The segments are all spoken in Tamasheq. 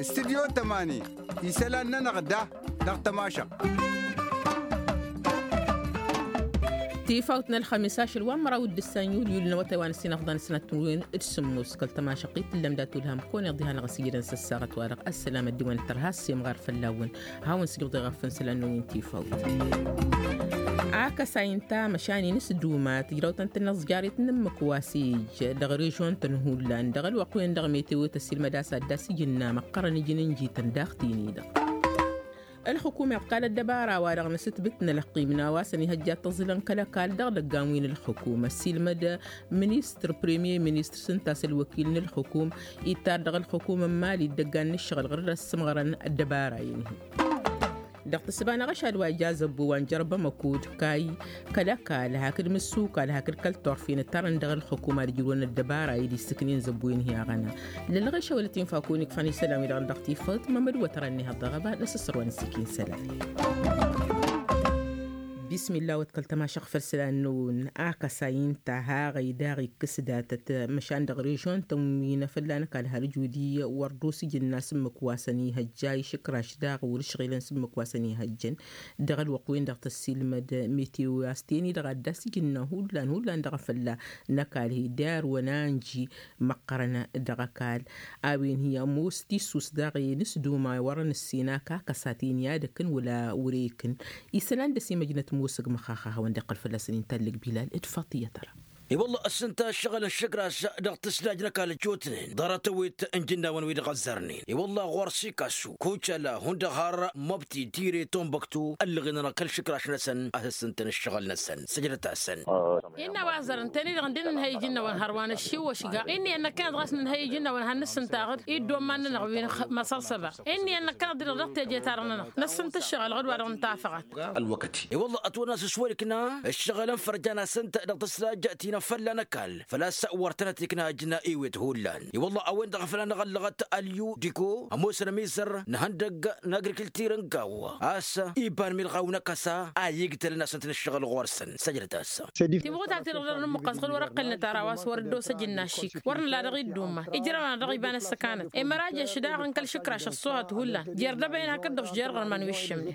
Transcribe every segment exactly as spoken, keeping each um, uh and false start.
Studyo tămani, isălan-nănăɣ da dăɣ-tămašăɣt. Tifawt n-ălxămis ašăl wa n-măraw d-ǝssan yulyu l-năwătay wa n-ǝssin ăfḍan sănăt timǝrwen d-sǝmmos kăl-tămašăɣt-i tǝllăm dat-ulham kăwăn-iḍiha n-aɣăsijădăn s-ăssaɣăt wa dăɣ-ăssălam ăddiwăn tărha s-imɣar fălla-wăn. Hawăn-sǝjrǝḍ iɣăffăn isălan-năwăn tifawt. Akăsay n-ta măšan-in s-duma tǝjrawt ăntănăẓjaret n-ǝmmǝk wa s-ija dăɣ-režion-tăn hullan dăɣ-ălwăqq-wen-dăɣ meteo tăsilmăd a-s ad-dd-asǝjǝnna măqqărăn ǝjǝn n-jităn daɣ-tin-i-dăɣ. Ălxǝkum iḍkal ăddăbara-wa-dăɣ n-asǝtbǝt n-ălăqqim n-a-wa s-ănihăjja ad-t-ăẓẓǝlăn kăl-ăkall dăɣ-idăggan wi n-ălxǝkum ăssiilmăd ministăr premier ministăr s-ǝnta a-s ălwăkil n-ălxǝkum ittar dăɣ-ălxǝkum n-imali d-ăggan n-ǝššăɣǝl ɣur-dd ăssǝmɣărăn ăddăbara-in-hi. Dăɣ-tǝssǝba n-aɣăšad wa ija zăbbu wa n-jărbăm ăkud kay kăl-ăkall hakd mǝssukal hakd kăl-turfen ǝttarăn dăɣ-ălxǝkum ad-ǝjrǝwăn ăddăbara-i d-issǝknen zăbbu-in-hi aɣăna. Lălɣešăwălăt infakun ikfăn isălan-wi-dăɣ dăɣ-tifăt mămăd wătărăn-ni hăḍ dăɣ-ăba n-asǝssăr wa n-ǝssikǝn isălan. Bismillah wăt kăl-tămašăɣ făll-isălan-năwăn. Akăsay ǝnta haɣăy daɣ ikkǝs datăt măšan dăɣ-režion-tăn wi n-afălla n-ăkall har ǝjudi wăr dd-osǝjǝnna s-ǝmmǝk wa săn ihăjja išǝkraš daɣ wăr-ǝšɣilăn s-ǝmmǝk wa săn ihăjjăn. Dăɣ-ălwăqq-wen-dăɣ tăssiilmăd meteo a-s ten-i-dăɣ ad-dd-asǝjǝnna hullan hullan dăɣ-afălla n-ăkall hi-derwăn a ǝnji măqqărăn dăɣ-ăkall. A-wen hi-ămoos tissus daɣ i-nǝsduma wărăn ǝssin akakăs a ten-i-ad-ăkkăn wăla wăr-ekăn. Isălan d-ăsimăjnăt mosăg măxaxa a hawăn-dd-iqqăl fălla-săn inta ǝllǝg bilal d-faṭiyăt ăra. I-wălla ăssintăn ǝššăɣǝl n-išǝkraš dăɣ-tǝslaj n-ăkall ăjjootnen ḍarăt-ăwit n-ijǝnnawăn wi dăɣ-ăzzărnen. I-wălla ɣur-sikasu kucăla hundăɣ har măbti tire tombăktu ăllăɣen-anăɣ kăl-išǝkraš-năsăn a-s ăssintăn ǝššăɣǝl-năsăn săjdăt-asăn. Innă a-wa ăzzărăn tăn-i-dăɣ ǝndin ǝnhăy ijǝnnawăn hărwa n-ăššiwăšga. Inn'-iyyăn năkkăneḍ ɣas nǝnhăy ijǝnnawăn hannăs-sǝntaɣ-dd iddomman-nănăɣ wi n-măsălsăba. Inn'-iyyăn năkkăneḍ-di-dăɣ dăɣ-teje-ta-dăɣ-nănăɣ năssǝnt ǝššăɣǝl ɣǝd-wa-dăɣ n-tafăɣăt. Ălwăkăt i-wălla ătwănna s-ǝswăl ikna ǝššăɣǝlăn fărjan-asăn-t dăɣ-tǝslaj ti n-afălla n-ăkall făl-a-s wăr tănăt-ikna ǝjna ewet hullan. I-wălla a-wen-dăɣ a făl anăɣ-ăllăɣăt ălyu diko ămoosăn ămizăr n-ihăndăgg n-agrikǝltir n-gaw a-s iba n-milɣaw n-akăsa a igtălăn-asăn-t n-ǝššăɣǝl ɣur-săn săjdăt-as. Timɣutat-ti-dăɣ dăɣ-nǝmmuqqăs ɣǝd wăr-ăqqălnăt ara wa s-wăr-dd-osăj ǝnnašik wăr nǝla dăɣ-iddumman ijrăwăn-anăɣ dăɣ-iba n-ăssăkanăt. Imăraje ašǝdaɣ n-kăl-išǝkraš ăṣṣuhăt hullan jer-dăbăyăn hakd-dăɣ jer-iɣărman wi ǝššǝmnen.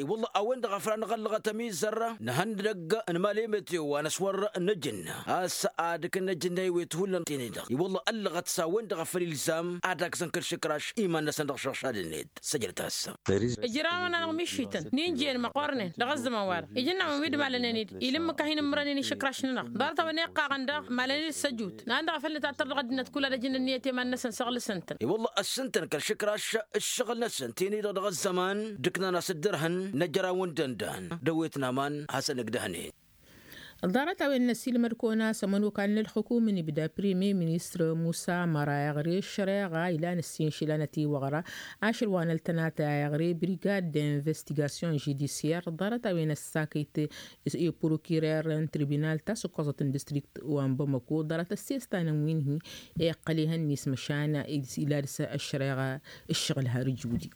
I-wălla a-wen-dăɣ a făl anăɣ-ăllăɣăt ămizăr n-ihăndăgg n-imali meteo wa n-ăswăr n-ejǝnna a-s ad-ǝkǝnnăj ǝnnăy wi t-hullan tini-dăɣ i-wălla ăllăɣăt s-a-wen-dăɣ a făl ilzam ad-agzăn kăl-išǝkraš iman-năsăn dăɣ-išăɣšad-net. Săjdăt-as. Ǝjrawăn-anăɣ mišităn n-injăyăn măqqornen dăɣ-ăzzăman-wa-dăɣ ijǝnnawăn wi d-malănen-dd ilǝmmǝk a hin-ǝmmărănen išǝkraš-nănăɣ ḍarăt-a-wen iqqaɣăn daɣ malăn-dd s-ăjut n-an-dăɣ a făl nǝtattăr dăɣ-ăddinăt kull ad-ăjǝn ǝnniyăt i-iman-năsăn săɣlǝsăn-tăn. I-wălla ăssintăn kăl-išǝkraš ǝššăɣǝl-năsăn tini-dăɣ dăɣ-ăzzăman d-ǝknan-as dd-ărhăn n-ăjraw n-dăndan d-ăwwet n-aman hasăn-ǝgdăhnen. Ḍarăt-a-wen n-ăsiilmăd-kăwăn-as ămănokal n-ălxǝkum n-ibda premier ministăr musa măra iɣre ăššăreɣa ilan ǝssin išilan ătiwăɣra ašăl wa n-ăltănatăy a iɣre brigad d-investigation judicier ḍarăt-a-wen ăssakăyt i-prokirer n-tribinal ta s-ǝkkoẓăt n-distrikt wa n-bamăko ḍarăt ăssestanăn wi n-hi-iqqăl ihăn-net măšan ila dăr-s ăššăreɣa ǝššăɣǝl har ǝjudi.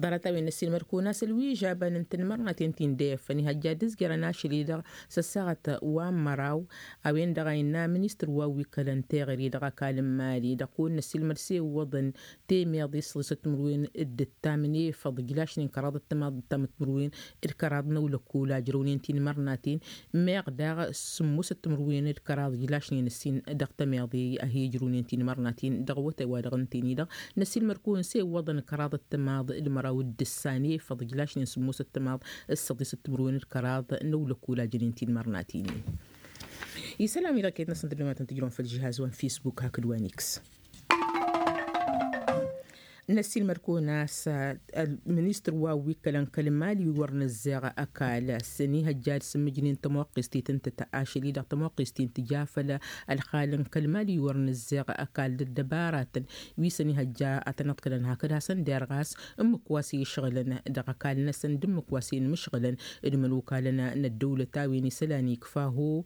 Ḍarăt-a-wen n-ăssiilmăd-kăwăn-as ălwižabăn n-tinmărnaten ti n-dăy-ăffăn ihăjja dd-ǝzjărăn ašăl-i-dăɣ s-ăssaɣăt wa n-măraw. A-wen-dăɣ a innă ministăr wa wi kălăn teɣăre dăɣ-ăkall n-mali dăɣ-kăwăn-năssiilmăd s-e iwwăḍăn temeḍe s-săḍisăt timǝrwen d-ǝttam n-efăḍ ǝjlašnen kăraḍ ăttămaḍ d-ǝttam timǝrwen d-kăraḍ n-ăwlăkkol a ǝjrăwnen tinmărnaten. Meɣ daɣ sǝmmosăt timǝrwen d-kăraḍ ǝjlašnen ǝssin dăɣ-tămeḍe a hi-ǝjrăwnen tinmărnaten dăɣ-awătay wa dăɣ-ǝnta-en-i-dăɣ. Năsiilmăr-kăwăn s-e iwwăḍăn kăraḍ ăttămaḍ d-măraw d-ǝssan efăḍ ǝjlašnen sǝmmosăt tămaḍ d-săḍisăt timǝrwen d-kăraḍ n-ăwlăkkol a jănen tinmărnaten-in. Isălan-wi-dăɣ iket-năsăn tǝddǝmatăn tǝjrăwăn făll-žihaz wa n-fisbuk hakd wa n-iks. Năsiilmăr-kăwăn a-s ministăr wa wi kălăn kăl-mali wi wăr nǝzzeɣ ăkall a-s ănihăjja ad-sǝmmǝjnen tămoqqest i-tǝntǝt ašăl-i-dăɣ tămoqqest-in tǝja făll-ălxal n-kăl-mali wi wăr nǝzzeɣ ăkall d-ăddăbaratăn wi s-ănihăjja ad-tăn-ăḍkălăn hakd hasăn-derɣ a-s ǝmmǝk wa s-išɣǝlăn dăɣ-ăkall-năsăn d-ǝmmǝk wa s-inmǝšɣǝlăn d-imănokalăn n-ăddăwlăt a-wen isălan ikfa ho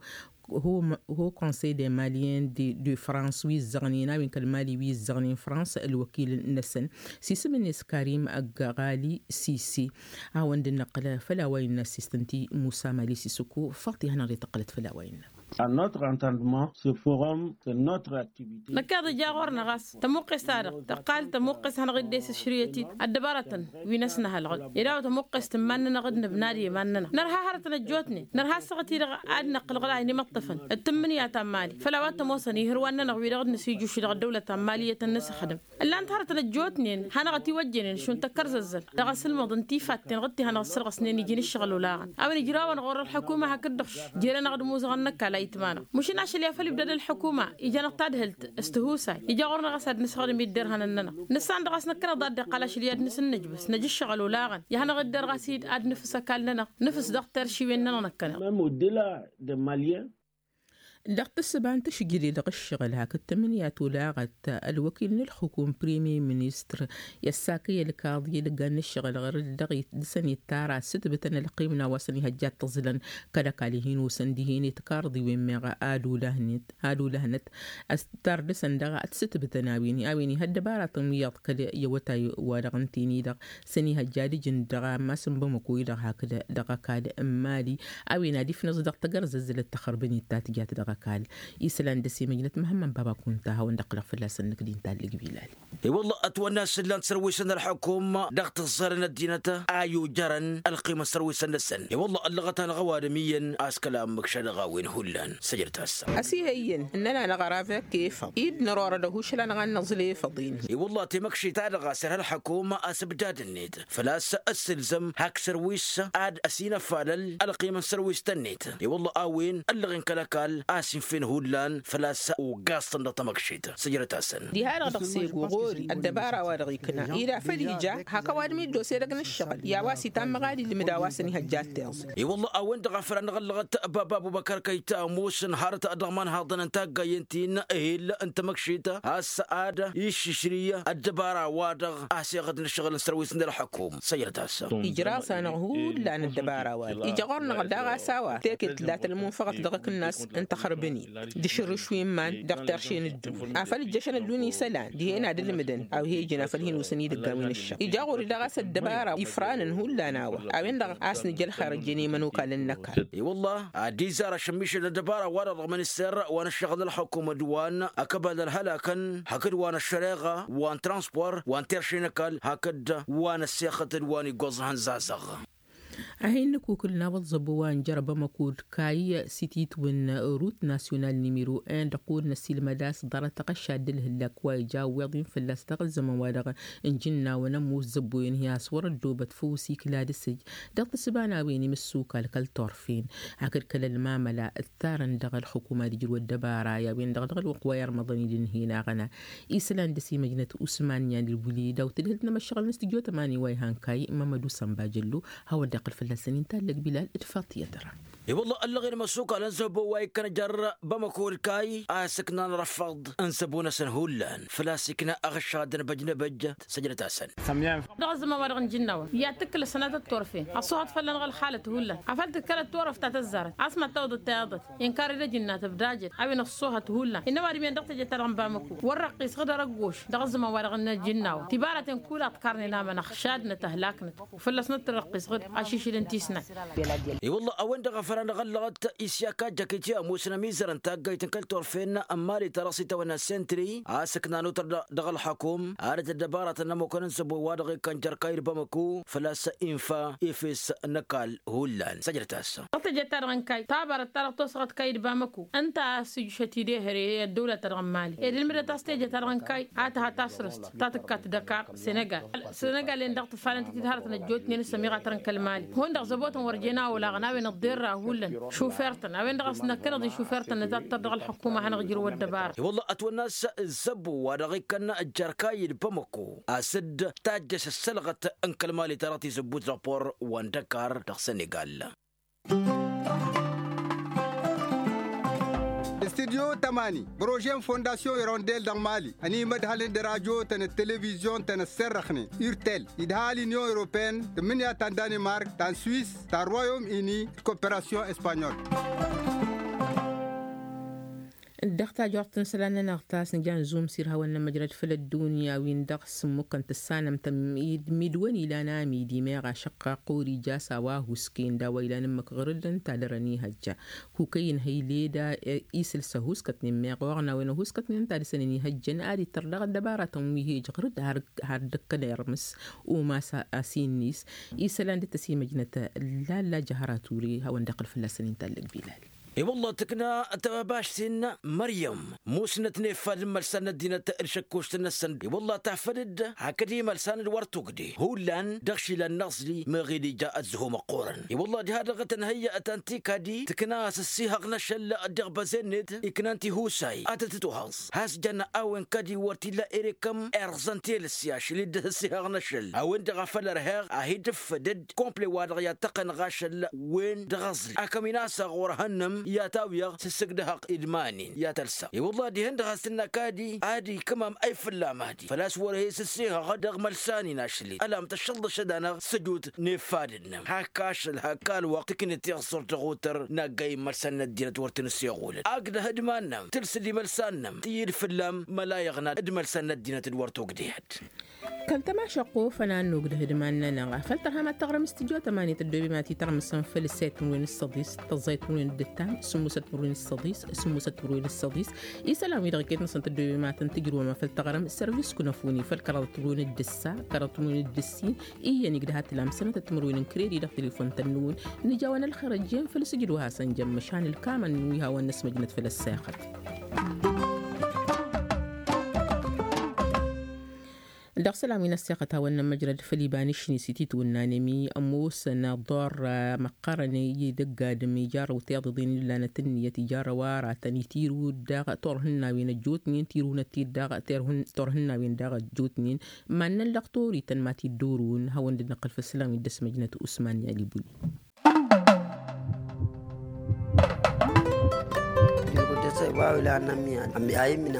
ho konsey de malien de frans wi ǝzzăɣnen a-wen kăl-mali wi ǝzzăɣnen frans ălwăkil-năsăn s-isǝm-net karim ăgg ɣali sisi. A-wen dd-năqqǝl făll-a-wa innă assistănti musa mali sisǝku faṭi hanăɣ-dd-tăqqǝlăt făll-a-wa innă. Năkkeḍ ija ɣur-năɣ a-s tămuqqes-ta-dăɣ tăqqal tămuqqes hanăɣ-dd-esǝšrǝyăt-dd ăddăbaratăn wi n-ăsnăhălɣăl. Ed a-wa tămuqqes tǝmman-nănăɣ d-nǝbna d-iman-nănăɣ nărha hărătăn ăjjootnen nărha ăssaɣăt-i-dăɣ ad-năqqǝlɣăl a hin-imǝṭṭăfăn d-tǝmmǝnǝya ta n-mali făll-a-wa t-ămoosăn ihǝrwan-nănăɣ wi-dăɣ d-nǝsijjuš dăɣ-ăddăwlăt ta n-mali iyyăt ănnăsăxdăm. Ǝllan-t hărătăn ăjjootnen hanăɣ-ătiwăjjănen šund tăkkărzăzzăl dăɣ-asǝlmăḍ n-tifatten ɣǝd ti-hanăɣ-ăssărɣăsnen iji n-ǝššăɣǝl olaɣăn a-wen ǝjrawăn ɣur-ălḥukuma hakd-dăɣ. Jer-anăɣ d-imuzăɣ n-ăkall a itma-năɣ mušǝn ašăl i-ad-făl ibdăd ălḥukuma ija-năɣ tadhǝlt s-tihusay ija ɣur-năɣ a-s ad-nǝsɣǝdǝm i-dd-irhănăn-nănăɣ. Nǝssan-dăɣ a-s năkkăneḍ ad-dd-iqqal ašăl i-ad-nǝsǝnnǝjbǝs năj ǝššăɣǝl olaɣăn i-ad-hanăɣ dd-irɣas-dd ad-nǝfǝs ăkall-nănăɣ nǝfǝs dăɣ-teršiwen-nănăɣ năkkăneḍ. Dăɣ-tǝssǝba n-tašǝjjǝde dăɣ-ǝššăɣǝl hakd tǝmǝnǝya tolaɣăt ălwăkil n-ǝlxǝkum premier ministăr i-ăssakăy ălkaḍ i-idăggan n-ǝššăɣǝl ɣur-dd dăɣ-i dăɣ-săn ittara ǝssǝtbǝtăn ălqim n-a-wa săn ihăjja d-tǝẓlăn kăl-ăkall hin-osăn dihen i-tikarḍiwen meɣ ad-ulăhnăt ad-ulăhnăt. Ăstar dăɣ-săn dăɣ-ad-t-sǝtbǝtăn a-wen a-wen ih' ăddăbaratăn wi iyyăḍ kăl-i awătay wa dăɣ-ǝnta-i-dăɣ săn ihăjja d-ijǝn dăɣ-ammas n-bamăko-i-dăɣ hakd dăɣ-ăkall n-mali. A-wen ad-ifnăẓ dăɣ-tagărzăzzălăt tăxrǝbăn-i d ta tǝjat dăɣ-ăkall isălan dăr-s imăjnăt măhămmăn baba kunta a hawăn-dd-ăqqǝlăɣ fălla-săn năkk d-intallăg bilal. I-wălla ătwănna a-s ǝllan-t sărwisăn ălḥăkum dăɣ-tǝẓẓarăn ăddinăt a ijărăn ălqimăn sărwisăn-năsăn i-wălla ăllăɣăt-anăɣ ăwadǝm iyyăn a-s kăla ămmǝkšad ăɣawen hullan săjdăt-as. Ăsihăyyăn ǝnnăn-anăɣ ăravek efăḍ-i d-nărorăd ăhušăl-anăɣ ad-năẓǝl efăḍ-in. I-wălla temăkšit-ta-dăɣ a-s irha ălḥăkum asǝbdad-net făl-a-s ăssǝlzăm hak sărwis ad-ăsinăfalăl ălqimăn sărwis-tăn-net i-wălla a-wen ăllăɣen kăl-ăkall a-s infen hullan făl-a-s uggaẓ-tăn dăɣ-tamăkšit. Săjdăt-asăn. Diha-dăɣ dăɣ-sego ɣori ăddăbara wa dăɣ-ikna ila făl ija hak ăwadǝm-i dd-ose dăgg-nǝššăɣǝl i-a-wa s-itammăɣ ad-ilmǝd a-wa săn ihăjja ad-t-iẓǝl. I-wălla a-wen-dăɣ a făl a năɣ-ăllăɣăt baba abubăkar kăyy ta ămoosăn harăt dăɣ-imanhaḍăn n-taggayen ti n-ehel n-tamăkšit a-s ad-iššǝšrǝy ăddăbara-wa-dăɣ a-s iɣǝd n-ǝššăɣǝl n-sărwis n-ălḥăkum săjdăt-as. Ijraẓ-anăɣ hullan ăddăbara-wa-dăɣ ija ɣur-năɣ daɣ a-s a-wa teket tǝllat ălmunfăɣăt dăɣ-akǝnnas n-taxrǝbăn-in d-ašǝrrǝš wi n-iman dăɣ-terše n-ǝddǝwǝl afăl ǝjjăšăn ălluun isălan dihen ad-ǝlmǝdăn a-wa he-ijǝn afăl hin-osăn idăgg a-wen ǝššăɣ ija ɣur-i daɣ a-s ăddăbara ifranăn hullan a-wa a-wen-dăɣ a-s nǝja ălxer ăjjeen i-imănokal n-ăkall. I-wălla ad-izar ašămmišăl n-ăddăbara wa dăɣ-minister wa n-ǝššăɣǝl n-ălxukum d-wa n-ăkăbal ălhălakăn hakd wa n-ăššăreɣa wa n-transpor wa n-terše n-ăkall hakd wa n-ăssexăt d-wa n-iggoẓ ihăn-zazăɣ. A hin-nǝkukǝl n-awăḍ zăbo wa n-jăr bamăko d-kayy s-ititwǝn rut nasyonal nimiro en dăɣ-kud n-ăsilmăd a-s ḍarăt aɣăšad d-ǝlhǝllak wa ija ăwweḍ-in fălla-s dăɣ-ăzzăman-wa-dăɣ n-ijǝnnawăn ămoos zăbboyăn hi-a-s wăr-ăddoobăt făw s-ikla d-asǝj. Dăɣ-tǝssǝba n-a-wen imǝssukal kăl-turfen hakd kăl-ălmamăla ǝttarăn dăɣ-ălxukuma d-ijrǝw ăddăbara i-a-wen-dăɣ dăɣ-ălwăqq wa irmăḍăn-dd ǝnhǝynaɣăn. Isălan dăr-s imăjnăt usman yan ǝlwǝli daw-tǝdhǝlt n-emăššăɣǝl n-studyo tămani wa ihăn kayy mămădu sănba jăllo. Hawăn-dd-iqqǝl fălla-săn intallăg bilal d-faṭiyăt ra. I-wălla ăllăɣen imăssukal n-zăbo wa ikkăn jer-bamăko d-kayy a-s ǝknan răfăḍ n-zăbo-năsăn hullan făl-a-s ikna aɣǝššad n-băjnăbăjjăt săjdăt-asăn. Dăɣ-ăzzăman wa dăɣ-nǝjǝnnawăn i-ad-tǝkkǝl ăssănatăt turfen ăṣṣuhăt fălla-năɣ ălxalăt hullan afăl tǝkkălăt turăft ta tăzzarăt a-s mad-tawăḍăt tayaḍăt inkar edăj ǝnna tǝbdajăt a-wen ăṣṣuhăt hullan innă ăwadǝm-en dăɣ-teje-ta-dăɣ n-bamăko wăr răqqisăɣ d-arăggoš dăɣ-ăzzăman wa dăɣ-nǝjǝnnawăn tibaratăn kul a ǝḍkarnen amăn ăxšadnăt ăhlaknăt. Fălla-s năttărăqqisăɣ-dd ašišǝl n-tisnay. I-wălla a-wen-dăɣ a făl a năɣ-ăllăɣăt isyaka jăkiti ămoosăn ămizăr n-taggayt n-kăl-turfen n-mali ta dăɣ-s itawănna sentri a-s ǝknan otăr dăɣ-ălxăkum arăt ăddăbaratăn n-ămmukăn n-zăbo wa dăɣ-ikkăn jer-kayy d-bamăko făl-a-s infa efes n-ăkall hullan săjdăt-as. Dăɣ-teje-ta-dăɣ n-kayy tabarăt ta dăɣ-tosăɣăt kayy d-bamăko ǝnta a-s ǝjjušăt-dd ehăre ăddăwla-ta-dăɣ n-mali ed ǝlmǝdăt a-s teje-ta-dăɣ n-kayy a tǝha tasrǝst ta tǝkkat dăkar senegal. Senegal-en-dăɣ tǝfalăn-t-dd hărătăn ăjjootnen s-ămiɣa tărăn kăl-mali hundăɣ zăbotăn wăr jen a olaɣăn a-wen ăḍḍerra hullan šufer-tăn a-wen-dăɣ a-s năkkăneḍ i-šufer-tăn nǝtattăr dăɣ-ălxukuma ad-hanăɣ-ijrǝw ăddăbara. I-wălla ătwănna a-s zăbbo wa dăɣ-ikkăn jer-kayy d-bamăko a-s dd-tajjăš ăssălɣăt n-kăl-mali ta dăɣ-tizǝbbut dăɣ-por wa n-dăkar dăɣ-senegal. Studyo tămani prože n-fondasyon irondel dăɣ-mali ănimădhălăn d-radyo-tăn d-televizyon-tăn ăssărrăxnen urtel idhal unyon europene tǝmmǝnǝya ta n-danimark ta n-swis ta n-royaume uni d-koperasyon espanyol. Dăɣ-tajort n-isălan-nănăɣ ta s-nǝja n-zumsir hawăn-nămăjrăd făll-ăddunya wi n-dăɣ-s ǝmmukăn tǝssanăm tămmidwăn ilan amidi meɣ ašăqqaq ori jas a-wa husken d-a-wa ilan ǝmmǝk ɣǝrǝd ǝnta dăr-ănihăjja. Kukăy n-hăyleda isǝl s-ăhuskătnen meɣ oɣna wen ăhuskătnen ǝnta dăr-săn ănihăjjăn ad-ittăr dăɣ-ăddăbaratăn wi hej ɣǝrǝd har dd-ăkkănăyărmǝs. Umas a-s innis isălan dd-tăsimăjnăt lalla jăhăra ture hawăn-dd-iqqǝl fălla-săn inta ăllăg bilal. I-wălla tǝkna tăbašt-in măryăm musnăt n-efad n-imălsan n-ăddinăt d-šăkkošt-năsăn i-wălla tafăd-dd hakd imălsan d-wăr tugde hullan dăɣ-išilan n-aẓli meɣ-dd ija ăzzăho măqqoorăn. I-wălla diha-dăɣ tănhăyya ătanti kadi tǝkna a-s ăssihăɣ n-ašăl dăɣ-băze-net iknan tihusay ad-tăt-ătuhăẓ has-jăn a-wen kadi wăr t-illa erekăm irẓăn telǝs i-ašăl-dd ăssihăɣ n-ašăl a-wen-dăɣ a făl ărheɣ a hi-dd-ǝffădăd komple wa-dăɣ i-ad-tăqqănăɣ ašăl wen dăɣ-aẓli akăm-in a-s aɣur hănnăm i-ad-tawǝyăɣ s-ǝssǝgdăhăɣ idman-in i-ad-tălsăɣ i-wălla dihen-dăɣ has-tǝnna kadi ad-ikǝmam ăy fălla-madi făl-a-s wăr-e-s ǝssihăɣ dăɣ-imălsan-in ašăl-dd ălam tăššălḍăšăd-anăɣ s-ăjut n-efad-năɣ hak ašăl hak alwăqq tǝknǝt tiɣsurt dăɣ-otăr n-aggay n-imălsan n-ăddinăt wăr tăn-ǝsseɣulăn agdăh d-iman-năm tǝlsǝd imălsan-năm tǝyyǝd fălla-m mălayăɣna d-imălsan n-ăddinăt d-wăr togdehăd. Kăl-tămašăqqo fănan n-ogdăh d-iman-nănăɣ afăl tărham ad-tăɣrǝm s-tijot ămanit ăddobem ad-t-itărmǝsăn făll-săyt timǝrwen s-săḍis tăẓẓayt timǝrwen d-ǝttam sǝmmosăt timǝrwen s-săḍis sǝmmosăt timǝrwen s-săḍis. Isălan-wi-dăɣ iket-năsăn tăddobem ad-tăn-tǝjrǝwăm afăl tăɣrǝm s-servis kunăfuni făll-kăraḍăt timǝrwen d-ǝssa kăraḍăt timǝrwen d-ǝssin. Iyyăn igdăh ad-t-lamsănăt timǝrwen n-kredi dăɣ-telefon-tăn-nǝwǝn. Nǝja a-wen ălxer ăjjeen făll-sǝjdǝw a hasăn-jăn măšan ǝlkamăn n-wi hawăn-năsmăjnăt făll-ăssexăt. Dăɣ-isălan wi n-ăssexăt hawăn-nămăjrăd făll-iba n-ašni s-ititwǝnnan emi ămoosăn aḍorra măqqărăn i-dăgg-adǝm ijarrăw tiḍeḍen wi dd-lanăt ǝnniyăt ijarrăw aratăn itirǝw-dd daɣ turhǝnnawen ăjjootnen tirǝwnăt-dd daɣ turhǝnnawen daɣ ăjjootnen. Mannăn lăqtor ităn ma t-dd-orǝwăn hawăn-dd-năqqǝl făll-isălan wi dd-ăsmăjnăt usman i-alibuli.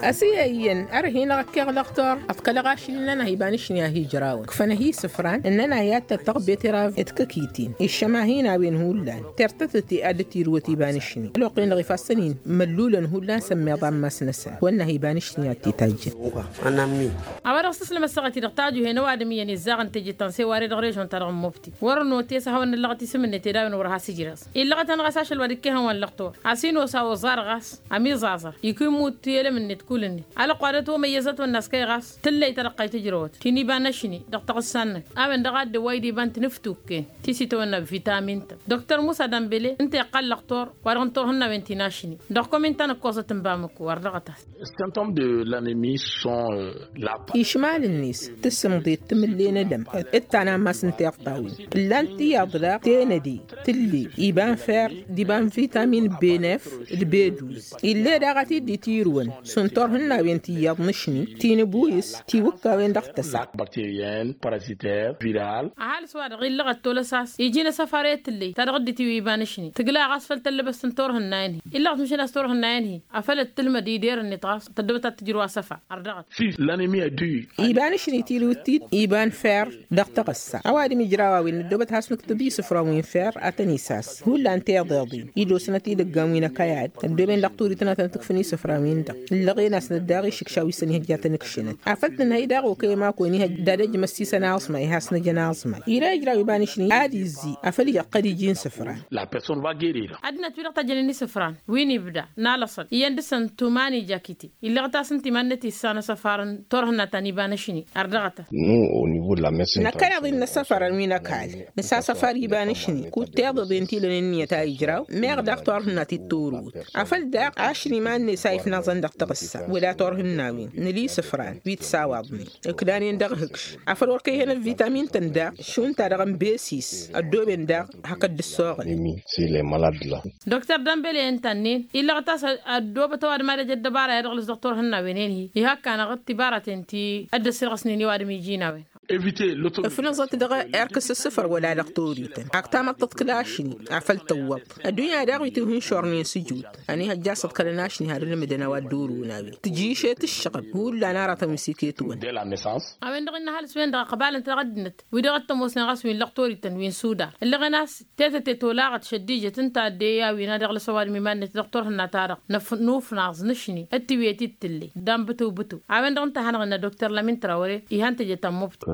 Ăsiyăyyăn ărhin-ăɣ ăkkeɣ lăqtor ăḍkălăɣ ašli-nănăɣ iba n-ašni a hi-ǝjrawăn ǝkfăn-ahi isǝfran ǝnnăn-ahi ad-tăttăɣ beterab d-kăkitin iššăma hin-a-wen hullan tertătăt i-ad-dd-tirǝwăt iba n-ašni ălwăqq-en-dăɣ ifassăn-in măllulăn hullan s-ămmiḍa n-imass-năsăn wănn'-ahi iba n-ašni ad-t-itajjăn. A-wa dăɣ-s tǝslăm ăssaɣăt-i-dăɣ tajuhen ăwadǝm iyyăn izaɣăn teje tanse wa ere dăɣ-režon-ta-dăɣ n-mobti wăr-notesăt hawăn-năllăɣăt isǝm-net ed a-wen wăr has-ǝjreẓ illăɣăt-anăɣ a-s ašăl wa dd-ikkehăn wa n-lăqtor a-s inos a oẓar ɣas ămiẓaẓăr ikwǝmmut i-elăm-net kull-net. Ălwăqq wa dăt-omăyyăzăt wănn'-as kăy ɣas tǝllăy ta dăɣ-kăy tǝjrăwăt ti n-iba n-ašni dăɣ-taɣǝssa-năk a-wen-dăɣ a dd-ăwwăy d-iba n-tinǝftukken ti s-itawănna vitamin-tăn. Dr musa dănbele ǝnta iqqal lăqtor wa-dăɣ n-turhǝnnawen ti n-ašni dăɣ-komin ta n-ǝkkoẓăt n-bamǝko ardăɣăt-as. Išmal-net tǝssǝmḍet tǝmǝlle n-edăm d-ta n-ammas n-tiṭṭawin ǝllan tiyyăḍ daɣ tenăde tǝlle iba n-fer d-iba n-vitamin benef d-beduz. Ill'-e daɣ a t-dd-itirǝwăn s-turhǝnnawen tiyyăḍ n-ašni ti n-ăbuyǝs tiwǝkkawen dăɣ-tăsa. Ăhalǝs-wa-dăɣ illăɣăt tolăs a-s iji n-asăfar i-tǝllăy ta dăɣ-dd-itiwǝy iba n-ašni tǝgla ɣas făll-tăllăbăst n-turhǝnnayen-hi illăɣăt măšan a-s turhǝnnayen-hi afăl ăttǝlmăd ider-net ɣas tăddobăt ad-tǝjrǝw asăfar ărdăɣăt. Iba n-ašni tiriwǝt-dd iba n-fer dăɣ-taɣǝssa ăwadǝm ijraw a-wen năddoobăt has-nǝktǝb isǝfran wi n-fer ad-tăn-isas hullan tiḍeḍen idosnăt idăggan wi n-akăyad ăddooben dăɣ-turităn ad-tăn-tǝkfǝn isǝfran-win-dăɣ. Ǝllăɣen-asnăt daɣ išǝkša wi s-ănihăjja tăn-ǝkšǝnăt afăl tǝnhăy daɣ okăy ămakon ihăjja d-ad-ăjmăssisăn aẓmay has-năjăn aẓmay ira ijraw iba n-ašni ad-izzi afăl ija ăqqăd iji n-isǝfran. Ăddinăt-wi-dăɣ tajjănen isǝfran wi n-ibda n-alăṣăl iyyăn dăr-săn tuman ija kite. Illăɣăt-as ǝnta iman-net issan asăfar n-turhǝnna ta n-iba n-ašni ărdăɣăt-as. Năkkăneḍ-in n-asăfărăn wi n-ăkall nǝsa asăfar iba n-ašni kud tiḍeḍen ti lănen ǝnniyăt a ijraw meɣ daɣ turhǝnna ti t-orǝwǝt afăl daɣ ašni iman-net a ifnaẓăn dăɣ-taɣǝssa wăla turhǝnnawen nǝla isǝfran wi t-sawaḍnen ǝknanen dăɣ-hǝkš afăl wăr kăy-hen ăvitamin-tăn daɣ šund-ta-dăɣ n-besis ăddooben daɣ hakd dd-ăssoɣăl. Dr dănbele ǝnta-nen illăɣăt-as ăddoobăt ăwadǝm ad-ăj ăddăbara i-ad-ăɣlǝs dăɣ-turhǝnnawen-en-hi ihakk-anăɣ d-tibaraten ti dd-ăssirɣăsnen i-ăwadǝm iji n-a-wen. Ăfnăẓăt dăɣ-erk s-ǝssǝfăr wăla dăɣ-torităn ak tamăḍt tǝḍkǝl ašni afăl tǝwwăḍ. Ăddunya daɣ wi tǝwhǝnšornen s-ǝjut ănihăjja s-ǝḍkălăn ašni har ǝlmǝdăn a-wa dd-orǝwăn a-wen tǝjǝyǝšet ǝššăɣǝb. Hullan aratăn wi s-iket-wăn. A-wen-dăɣ ǝnnă ăhalǝs-wen-dăɣ ăqbalăn-t dăɣ-ăddinăt wi-dăɣ ăttămoosnen ɣas wi n-lăɣ torităn wi n-sudar ǝllăɣen a-s tetăte tolaɣăt šăddijăt ǝnta a dd-e-i a-wen a dăɣ-lăs ăwadǝm iman-net dăɣ-turhǝnna-ta-dăɣ. Năfnufnaẓ nǝšni ăttiwǝyăt-dd tǝlle. Dan bǝtǝw-bǝtǝw a-wen-dăɣ ǝnta a hanăɣ-innă dokter lamin trawăre ihăn teje tammubtăt.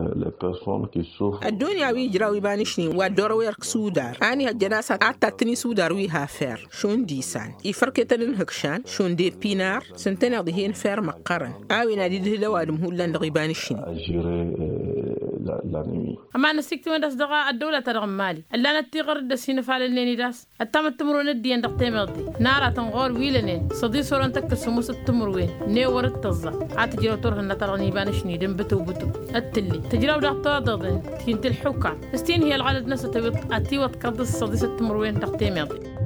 Ăddunya wi ǝjraw iba n-ašnin wa dd-orăw erk sudar a ănihăjjăn a-s ad-tattăn isudar wi hafer šund isan ifărketăn n-ihǝkšan šund eppinar s-ǝntăneḍ ihen fer măqqărăn. A-wen ad-idhǝl ăwadǝm hullan dăɣ-iba n-ašnin. Ămanăs tiktǝwen d-a-s dăɣ-ăddăwla-ta-dăɣ n-mali ǝllanăt tiɣăr dd-ăssin ăfalălnen-dd a-s ăttamăt timǝrwen ăddiiyăn dăɣ-temeḍe n-aratăn ɣur-wi lănen săḍis orăn tăkkăs sămusăt timǝrwen n-ewăr d-tăẓẓa. Ad-tǝjrăw turhǝnna-ta-dăɣ n-iba n-ašni d-inbǝtǝwbǝtǝw ăttǝlle tǝjrăw daɣ toḍeḍen ti n-tilḥukam s-tinhi ălɣălăd-năsăt ătiwăḍkăḍ d-săḍisăt timǝrwen dăɣ-temeḍe.